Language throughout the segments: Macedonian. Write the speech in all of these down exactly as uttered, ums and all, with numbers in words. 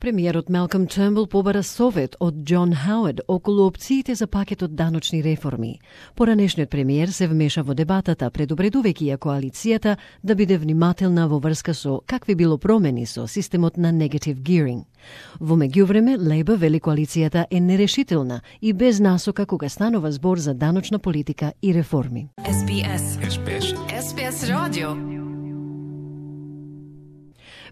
Премиерот Малком Тернбул побара совет од Џон Хауард околу опциите за пакетот даночни реформи. Поранешниот премиер се вмеша во дебатата, предупредувајќи ја коалицијата да биде внимателна во врска со какви било промени со системот на negative gearing. Во меѓувреме, Лейбор вели коалицијата е нерешителна и без насока кога станува збор за даночна политика и реформи. Ес Би Ес. Ес Би Ес. Ес Би Ес радио.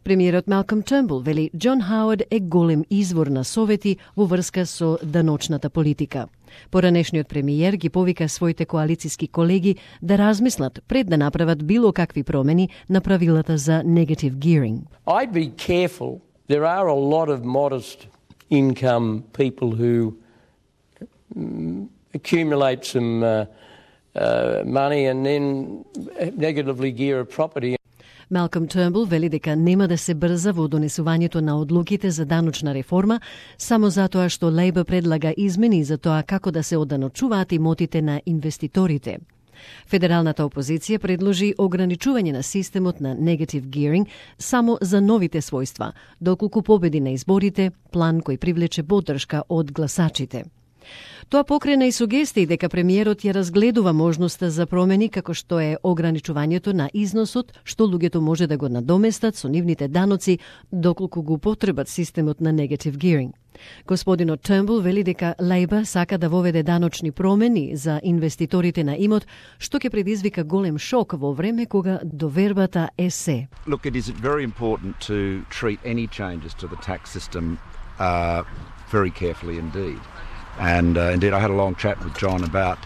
Премиерот Малком Тернбул вели Џон Хауард е голем извор на совети во врска со даночната политика. Поранешниот премиер ги повика своите коалициски колеги да размислат пред да направат било какви промени на правилата за negative gearing. I'd be careful. There are a lot of modest income people who um, accumulate some uh, uh, money and then negatively gear a property. Малком Тернбул вели дека нема да се брза во донесувањето на одлуките за даночна реформа, само затоа што Лейбор предлага измени за тоа како да се оданочуваат имотите на инвеститорите. Федералната опозиција предложи ограничување на системот на negative gearing само за новите својства, доколку победи на изборите, план кој привлече поддршка од гласачите. Тоа покрена и сугестии дека премиерот ја разгледува можноста за промени како што е ограничувањето на износот, што луѓето може да го надоместат со нивните даноци доколку го потребат системот на negative gearing. Господинот Тернбул вели дека Лейбор сака да воведе даночни промени за инвеститорите на имот, што ќе предизвика голем шок во време кога довербата е се. Look, it is very important to treat any changes to the tax system uh, very carefully indeed. And uh, indeed, I had a long chat with John about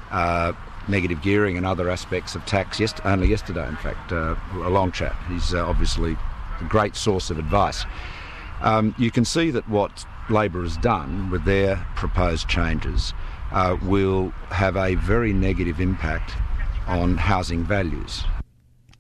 uh, negative gearing and other aspects of tax yes- only yesterday, in fact, uh, a long chat. He's uh, obviously a great source of advice. Um, you can see that what Labor has done with their proposed changes uh, will have a very negative impact on housing values.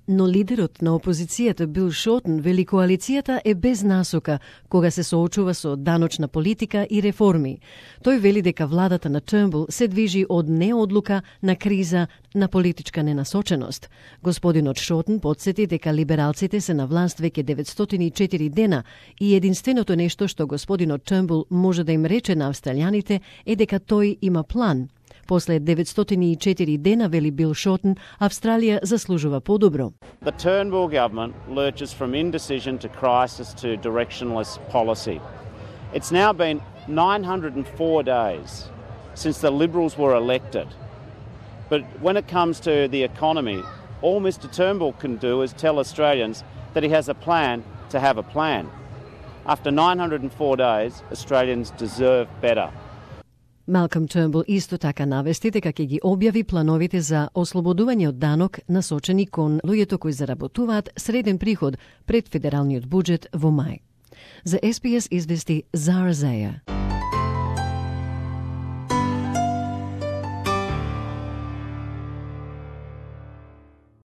Но лидерот на опозицијата Бил Шортен вели коалицијата е без насока кога се соочува со даночна политика и реформи. Тој вели дека владата на Тернбул се движи од неодлука на криза на политичка ненасоченост. Господинот Шортен потсети дека либералците се на власт веќе деветстотини и четири дена и единственото нешто што господинот Тернбул може да им рече на австралијаните е дека тој има план. После деветстотини и четири дена, вели Бил Шортен, Австралија заслужува подобро. The Turnbull government lurches from indecision to crisis to directionless policy. It's now been nine hundred four days since the Liberals were elected. But when it comes to the economy, all Mister Turnbull can do is tell Australians that he has a plan to have a plan. After nine hundred four days, Australians deserve better. Малком Тернбул исто така навести дека ќе ги објави плановите за ослободување од данок насочени кон луѓето кои заработуваат среден приход пред федералниот буџет во мај. За Ес Би Ес извести Зара Зеја.